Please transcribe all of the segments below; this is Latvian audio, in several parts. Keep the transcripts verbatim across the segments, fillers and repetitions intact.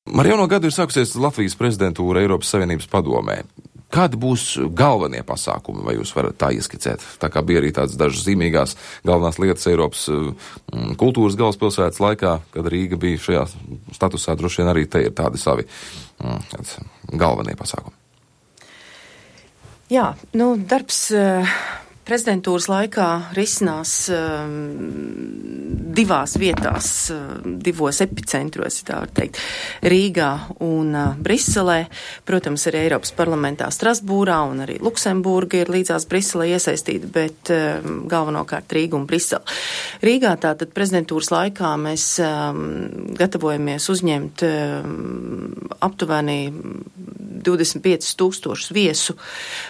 Ar jauno gadu ir sākusies Latvijas prezidentūra Eiropas Savienības padomē. Kādi būs galvenie pasākumi, vai jūs varat tā ieskicēt? Tā kā bija arī tādas dažas zīmīgās galvenās lietas Eiropas mm, kultūras galvaspilsētas laikā, kad Rīga bija šajā statusā, droši vien arī te ir tādi savi mm, galvenie pasākumi. Jā, nu, darbs prezidentūras laikā risinās um, divās vietās, um, divos epicentros, tā var teikt, Rīgā un uh, Briselē. Protams, arī Eiropas parlamentā Strasbūrā un arī Luksemburga ir līdzās Briselē iesaistīta, bet um, galvenokārt Rīga un Brisele. Rīgā tātad prezidentūras laikā mēs um, gatavojamies uzņemt um, aptuveni divdesmit piecus tūkstošus viesu,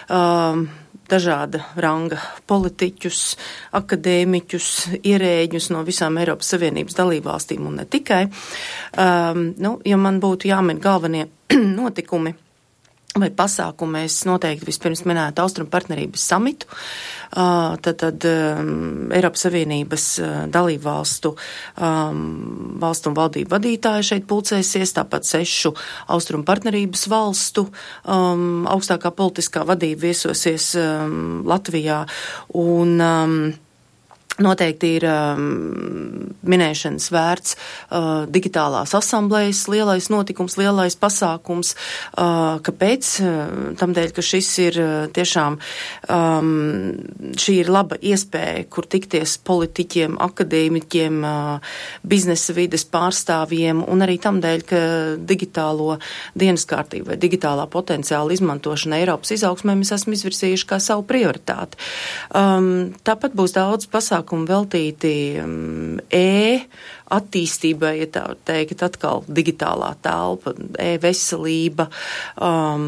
um, dažāda ranga politiķus, akadēmiķus, ierēģus no visām Eiropas Savienības dalībvalstīm un ne tikai. Um, nu, ja man būtu jāmin galvenie notikumi vai pasākumi, es noteikti vispirms minētu Austrumu partnerības samitu, uh, tad, tad um, Eiropas Savienības uh, dalībvalstu um, valstu un valdību vadītāji šeit pulcēsies, tāpat sešu Austrumu partnerības valstu um, augstākā politiskā vadība viesosies um, Latvijā un um, noteikti ir um, minēšanas vērts uh, digitālās asamblējas lielais notikums, lielais pasākums. Uh, kāpēc? Uh, tamdēļ, ka šis ir uh, tiešām, um, šī ir laba iespēja, kur tikties politiķiem, akadēmiķiem, uh, biznesa vides pārstāvjiem un arī tamdēļ, ka digitālo dienas kārtību vai digitālā potenciāla izmantošana Eiropas izaugsmē mēs esam izvirsījuši kā savu prioritāti. Um, tāpat būs daudz pasākumu veltīti um, e attīstībai, ja tā var teikt, atkal digitālā telpa, e-veselība, um,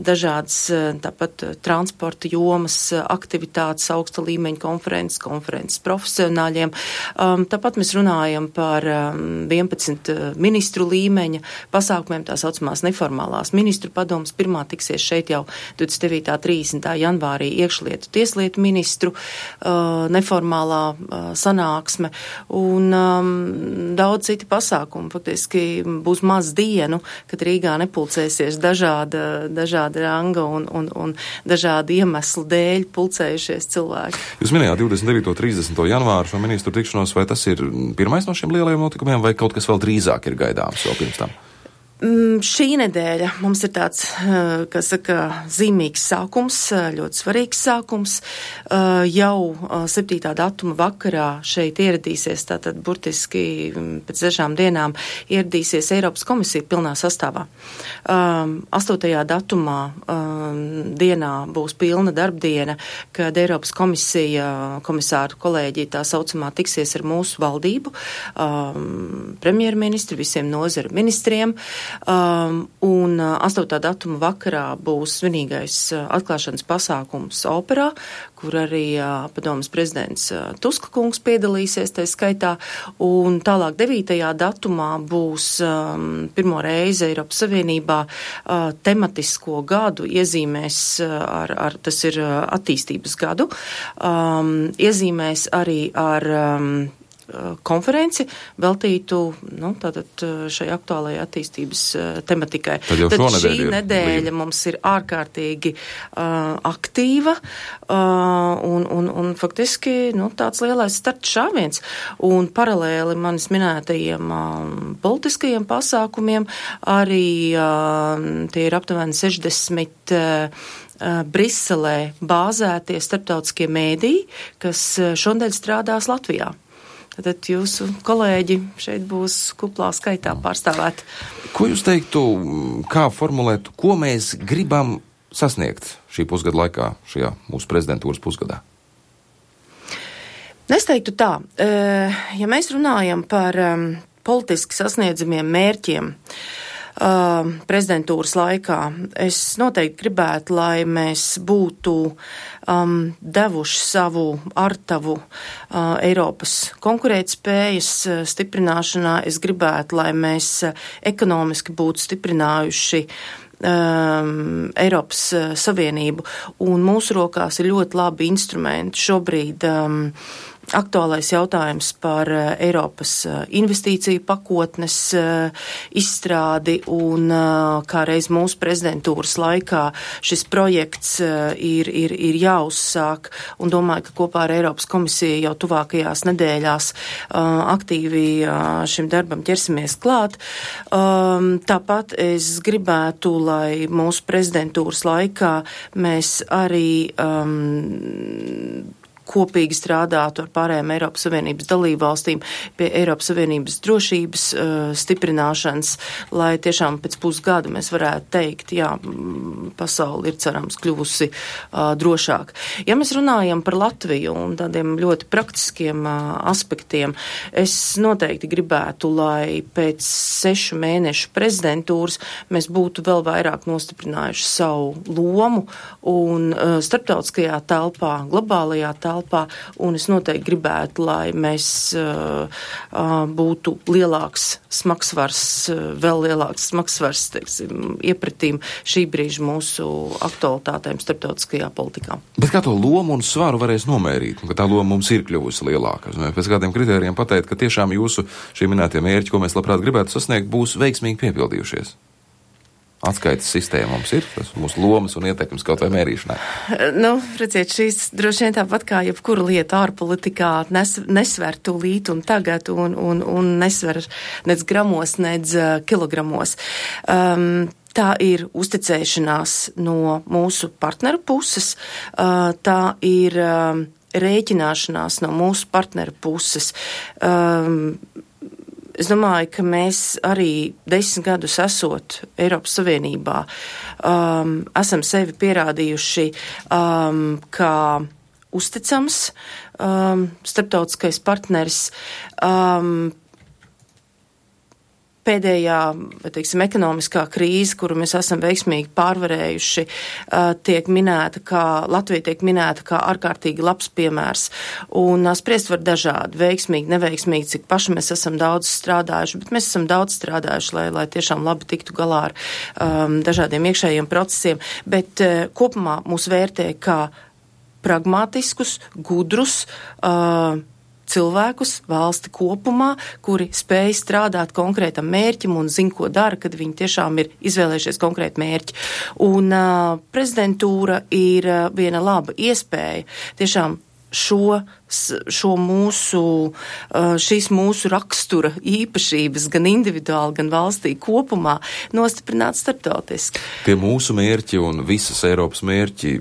dažādas tāpat transporta jomas, aktivitātes, augsta līmeņa konferences, konferences profesionāļiem. Um, tāpat mēs runājam par um, vienpadsmit ministru līmeņa pasākumiem, tā saucamās neformālās ministru padomas. Pirmā tiksies šeit jau divdesmit devītā trīsdesmitā janvārī iekšlietu tieslietu ministru uh, neformālā uh, sanāksme un um, daudz citi pasākumi. Faktiski būs maz dienu, kad Rīgā nepulcēsies dažāda, dažāda ranga un, un, un dažādi iemesli dēļ pulcējušies cilvēki. Jūs minējāt divdesmit devīto trīsdesmito janvāru šo ministru tikšanos, vai tas ir pirmais no šiem lielajiem notikumiem, vai kaut kas vēl drīzāk ir gaidāms vēl pirms tam? Mm, šī nedēļa mums ir tāds, kā saka, zīmīgs sākums, ļoti svarīgs sākums. Jau septītā datuma vakarā šeit ieradīsies, tātad burtiski pēc dažām dienām ieradīsies Eiropas komisija pilnā sastāvā. astotajā datumā dienā būs pilna darbdiena, kad Eiropas komisija, komisāru kolēģi tā saucamā tiksies ar mūsu valdību, premjerministri, visiem nozaru ministriem. Um, un astotā datuma vakarā būs svinīgais uh, atklāšanas pasākums operā, kur arī uh, padomas prezidents uh, Tuska kungs piedalīsies tā skaitā, un tālāk devītajā datumā būs um, pirmo reizi Eiropas Savienībā uh, tematisko gadu iezīmēs uh, ar, ar, tas ir uh, attīstības gadu, um, iezīmēs arī ar um, konferenci veltītu, nu, tātad šai aktuālajai attīstības uh, tematikai. Tad, Tad šī ir nedēļa līdzi. Mums ir ārkārtīgi uh, aktīva uh, un, un, un faktiski, nu, tāds lielais starts šāviens. Un paralēli manis minētajiem um, politiskajiem pasākumiem arī uh, tie ir aptuveni sešdesmit uh, Briselē bāzētie starptautiskie mēdīji, kas šodien strādās Latvijā. Tad jūsu kolēģi šeit būs kuplā skaitā pārstāvēt. Ko jūs teiktu, kā formulēt, ko mēs gribam sasniegt šī pusgada laikā, šajā mūsu prezidentūras pusgadā? Es teiktu tā, ja mēs runājam par politiski sasniedzamiem mērķiem prezidentūras laikā, es noteikti gribētu, lai mēs būtu um, devuši savu artavu uh, Eiropas konkurētspējas uh, stiprināšanā. Es gribētu, lai mēs uh, ekonomiski būtu stiprinājuši um, Eiropas uh, Savienību, un mūsu rokās ir ļoti labi instrumenti šobrīd um, aktuālais jautājums par uh, Eiropas uh, investīciju pakotnes uh, izstrādi un uh, kā reiz mūsu prezidentūras laikā šis projekts uh, ir, ir, ir jāuzsāk un domāju, ka kopā ar Eiropas komisiju jau tuvākajās nedēļās uh, aktīvi uh, šim darbam ķersimies klāt. Um, tāpat es gribētu, lai mūsu prezidentūras laikā mēs arī um, kopīgi strādātu ar pārējām Eiropas Savienības dalībvalstīm pie Eiropas Savienības drošības uh, stiprināšanas, lai tiešām pēc pusgada mēs varētu teikt, jā, pasauli ir cerams kļuvusi uh, drošāk. Ja mēs runājam par Latviju un tādiem ļoti praktiskiem uh, aspektiem, es noteikti gribētu, lai pēc sešu mēnešu prezidentūras mēs būtu vēl vairāk nostiprinājuši savu lomu un uh, starptautiskajā telpā, globālajā telpā, un es noteikti gribētu, lai mēs uh, uh, būtu lielāks smagsvars, uh, vēl lielāks smagsvars, teiksim, iepratīm šī brīža mūsu aktualitātēm starptautiskajā politikā. Bet kā to lomu un svaru varēs nomērīt, ka tā loma mums ir kļuvusi lielāka? Pēc kādiem kritērijiem pateikt, ka tiešām jūsu šī minētie mērķi, ko mēs labprāt gribētu sasniegt, būs veiksmīgi piepildījušies? Atskaites sistēma mums ir, tas mūsu lomas un ietekmes kaut vai mērīšanai. Nu, redziet, šīs droši vien tāpat kā jebkura lieta ārpolitikā nes, nesver tūlīt un tagad un, un, un nesver nec gramos, nec uh, kilogramos. Um, Tā ir uzticēšanās no mūsu partneru puses, uh, tā ir uh, rēķināšanās no mūsu partneru puses. Um, Es domāju, ka mēs arī desmit gadus esot Eiropas Savienībā um, esam sevi pierādījuši um, kā uzticams um, starptautiskais partneris. Um, Pēdējā, teiksim, ekonomiskā krīze, kuru mēs esam veiksmīgi pārvarējuši, tiek minēta kā, Latvija tiek minēta kā ārkārtīgi labs piemērs. Un spriest var dažādi, veiksmīgi, neveiksmīgi, cik paši mēs esam daudz strādājuši, bet mēs esam daudz strādājuši, lai, lai tiešām labi tiktu galā ar um, dažādiem iekšējiem procesiem. Bet uh, kopumā mūs vērtē kā pragmatiskus, gudrus, uh, cilvēkus, valsti kopumā, kuri spēj strādāt konkrētam mērķim un zin, ko dara, kad viņi tiešām ir izvēlējušies konkrētu mērķi. Un uh, prezidentūra ir uh, viena laba iespēja tiešām šo, šo mūsu, uh, šīs mūsu rakstura īpašības gan individuāli, gan valstī kopumā nostiprināt starptautiski. Tie mūsu mērķi un visas Eiropas mērķi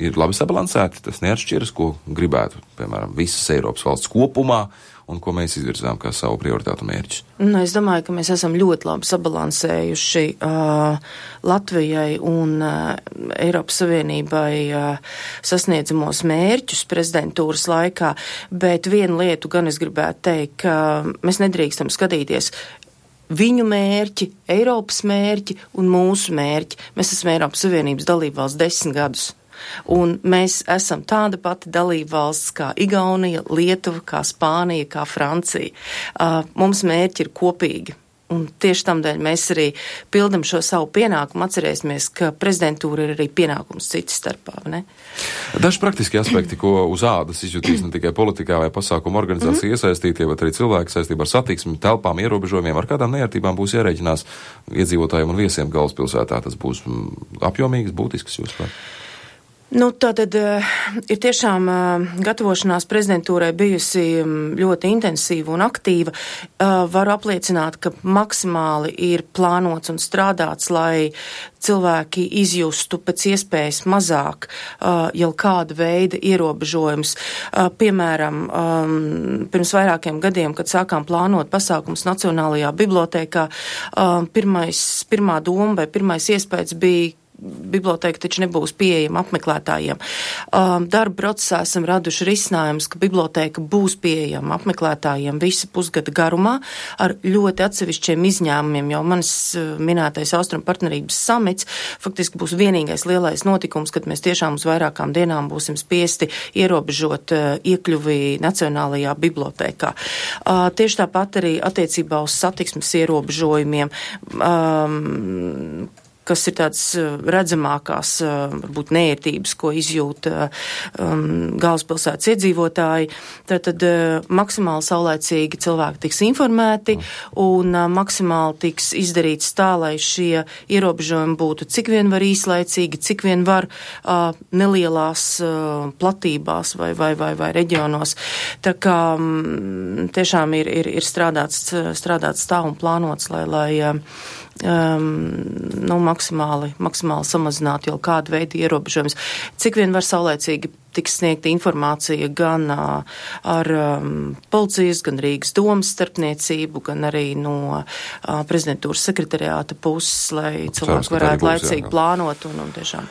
ir labi sabalansēti, tas neatšķiras, ko gribētu, piemēram, visas Eiropas valsts kopumā un ko mēs izvirzām kā savu prioritātu mērķus. Nu, es domāju, ka mēs esam ļoti labi sabalansējuši uh, Latvijai un uh, Eiropas Savienībai uh, sasniedzamos mērķus prezidentūras laikā, bet vienu lietu gan es gribētu teikt, ka mēs nedrīkstam skatīties viņu mērķi, Eiropas mērķi un mūsu mērķi. Mēs esam Eiropas Savienības dalībvalsts desmit gadus. Un mēs esam tāda pati dalībvalsts kā Igaunija, Lietuva, kā Spānija, kā Francija. Uh, mums mērķi ir kopīgi. Un tieši tamdēļ mēs arī pildam šo savu pienākumu. Atcerēsimies, ka prezidentūra ir arī pienākums citas starpā, ne? Daži praktiski aspekti, ko uz ādas izjutīs ne tikai politikā vai pasākumu organizācija mm-hmm. iesaistītie, bet arī cilvēki saistībā ar satiksmi, telpām, ierobežojumiem, ar kādām neērtībām būs jārēķinās iedzīvotājiem un viesiem galvaspilsētā. Tas būs apjomīgs, būtisks jūs par. Nu, tātad uh, ir tiešām uh, gatavošanās prezidentūrai bijusi ļoti intensīva un aktīva. Uh, varu apliecināt, ka maksimāli ir plānots un strādāts, lai cilvēki izjustu pēc iespējas mazāk uh, jau kāda veida ierobežojums. Uh, piemēram, um, pirms vairākiem gadiem, kad sākām plānot pasākums Nacionālajā bibliotēkā, uh, pirmais, pirmā doma vai pirmais iespējas bija, biblioteka taču nebūs pieejama apmeklētājiem. Um, darba procesā esam raduši risinājumus, ka biblioteka būs pieejama apmeklētājiem visa pusgada garumā ar ļoti atsevišķiem izņēmumiem, jo manis uh, minētais Austrumu partnerības samits faktiski būs vienīgais lielais notikums, kad mēs tiešām uz vairākām dienām būsim spiesti ierobežot uh, iekļuvi Nacionālajā bibliotēkā. Uh, tieši tāpat arī attiecībā uz satiksmes ierobežojumiem. Um, kas ir tādas redzamākās, varbūt neērtības, ko izjūt um, galvaspilsētas iedzīvotāji, tad, tad uh, maksimāli saulēcīgi cilvēki tiks informēti un uh, maksimāli tiks izdarīts tā, lai šie ierobežojumi būtu cik vien var īslaicīgi, cik vien var uh, nelielās uh, platībās vai, vai, vai, vai reģionos. Tā kā um, tiešām ir, ir, ir strādāts, strādāts tā un plānots, lai, lai uh, Um, nu, maksimāli, maksimāli samazināt jau kādu veidu ierobežojumus. Cik vien var saulēcīgi tiks sniegta informācija gan uh, ar um, policijas, gan Rīgas domas starpniecību, gan arī no uh, prezidentūras sekretariāta puses, lai cilvēki varētu laicīgi plānot un, un tiešām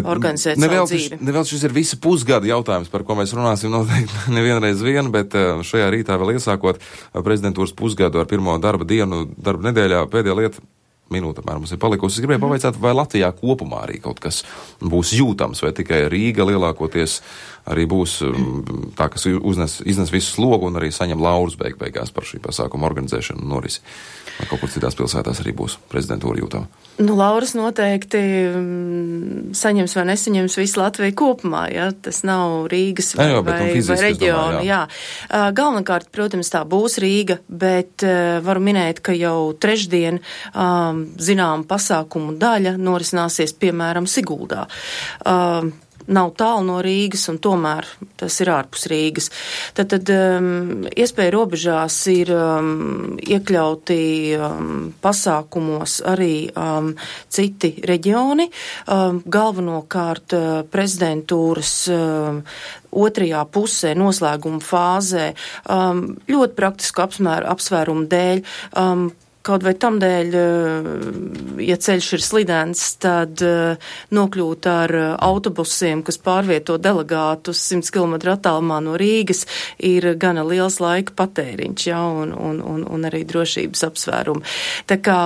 organizēt savu dzīvi. Nevēl šis ir visa pusgada jautājums, par ko mēs runāsim noteikti nevienreiz vien, bet uh, šajā rītā vēl iesākot uh, prezidentūras pusgadu ar pirmo darba dienu, darba nedēļā, pēdējā lieta. Minūte apmēram mums ir palikusi. Es gribēju pavaicāt, vai Latvijā kopumā arī kaut kas būs jūtams, vai tikai Rīga lielākoties arī būs tā, kas uznes, iznes visu slogu un arī saņem laurus beig beigās par šī pasākuma organizēšanu un norisi. Vai kaut kur citās pilsētās arī būs prezidentūra jūtama? Nu, lauras noteikti saņems vai nesaņems visu Latviju kopumā, ja? Tas nav Rīgas vai, jā, vai, vai reģiona. Jā. Jā. Galvenokārt, protams, tā būs Rīga, bet uh, varu minēt, ka jau trešdien um, zinām pasākumu daļa norisināsies, piemēram, Siguldā. Uh, Nav tālu no Rīgas, un tomēr tas ir ārpus Rīgas. Tad, tad um, iespēja robežās ir um, iekļauti um, pasākumos arī um, citi reģioni. Um, galvenokārt uh, prezidentūras um, otrajā pusē, noslēguma fāzē, um, ļoti praktisku apsmēru, apsvērumu dēļ. Um, Kaut vai tam dēļ, ja ceļš ir slidens, tad nokļūt ar autobusiem, kas pārvieto delegātus simts kilometru attālumā no Rīgas, ir gana liels laika patēriņš, ja, un, un, un, un arī drošības apsvērumi. Tā kā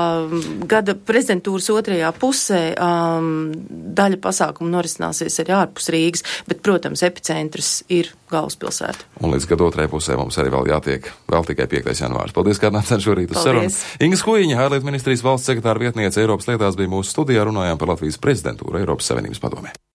gada prezidentūras otrajā pusē um, daļa pasākumu norisināsies arī ārpus Rīgas, bet, protams, epicentrs ir galvaspilsēta. Un līdz gada otrajai pusē mums arī vēl jātiek, vēl tikai piektais janvārs. Paldies, kā nācāt šorīt uz sarunu. Inga Skujiņa, ārlietu ministrijas valsts sekretāra vietniece Eiropas lietās, bija mūsu studijā, runājām par Latvijas prezidentūru Eiropas Savienības padomē.